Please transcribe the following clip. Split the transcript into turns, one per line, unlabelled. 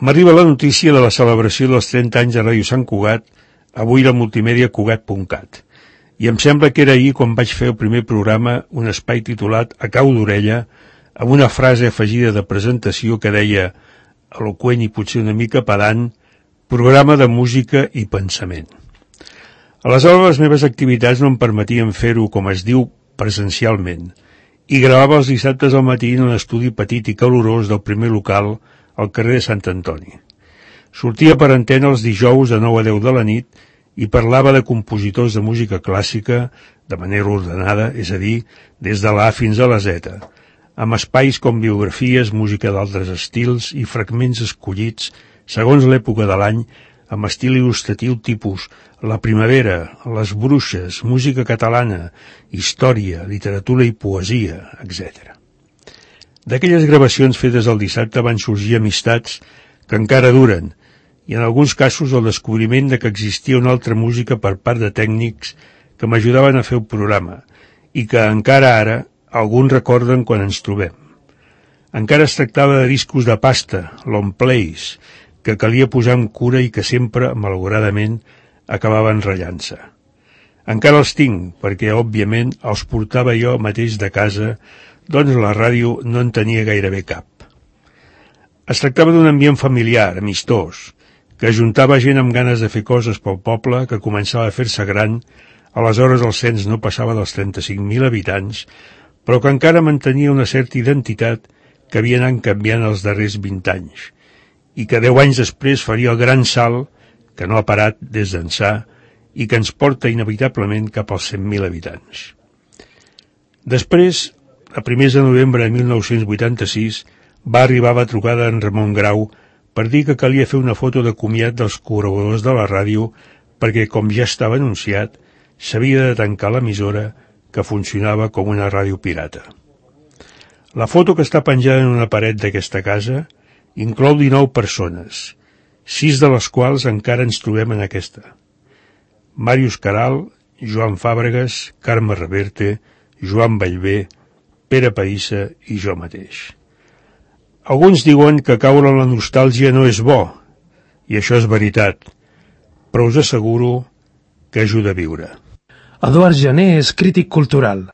M'arriba la notícia de la celebració dels 30 anys de Ràdio Sant Cugat, avui la multimèdia Cugat.cat. I em sembla que era ahir quan vaig fer el primer programa, un espai titulat A cau d'orella, amb una frase afegida de presentació que deia, eloqüent i potser una mica pedant, programa de música i pensament. Aleshores les meves activitats no em permetien fer-ho, com es diu, presencialment, i gravava els dissabtes al matí en un estudi petit i calorós del primer local al carrer de Sant Antoni. Sortia per antena els dijous de 9 a 10 de la nit i parlava de compositors de música clàssica de manera ordenada, és a dir, des de la A fins a la Z, amb espais com biografies, música d'altres estils i fragments escollits segons l'època de l'any, amb estil il·lustratiu tipus la primavera, les bruixes, música catalana, història, literatura i poesia, etc. D'aquelles gravacions fetes el dissabte van sorgir amistats que encara duren, i en alguns casos el descobriment de que existia una altra música per part de tècnics que m'ajudaven a fer el programa i que encara ara alguns recorden quan ens trobem. Encara es tractava de discos de pasta, long plays, que calia posar amb cura i que sempre, malauradament, acabaven ratllant-se. Encara els tinc, perquè, òbviament, els portava jo mateix de casa, doncs la ràdio no en tenia gairebé cap. Es tractava d'un ambient familiar, amistós, que ajuntava gent amb ganes de fer coses pel poble que començava a fer-se gran, aleshores el cens no passava dels 35.000 habitants, però que encara mantenia una certa identitat que havia anat canviant els darrers 20 anys, i que 10 anys després faria el gran salt, que no ha parat des d'ençà, i que ens porta inevitablement cap als 100.000 habitants. Després, a primers de novembre de 1986, va arribar la trucada en Ramon Grau per dir que calia fer una foto de comiat dels col·laboradors de la ràdio perquè, com ja estava anunciat, s'havia de tancar l'emissora que funcionava com una ràdio pirata. La foto que està penjada en una paret d'aquesta casa inclou 19 persones, 6 de les quals encara ens trobem en aquesta. Màrius Caral, Joan Fàbregas, Carme Reverte, Joan Ballbé, Pere Païssa i jo mateix. Alguns diuen que caure en la nostàlgia no és bo, i això és veritat, però us asseguro que ajuda a viure.
Eduard Jané és crític cultural.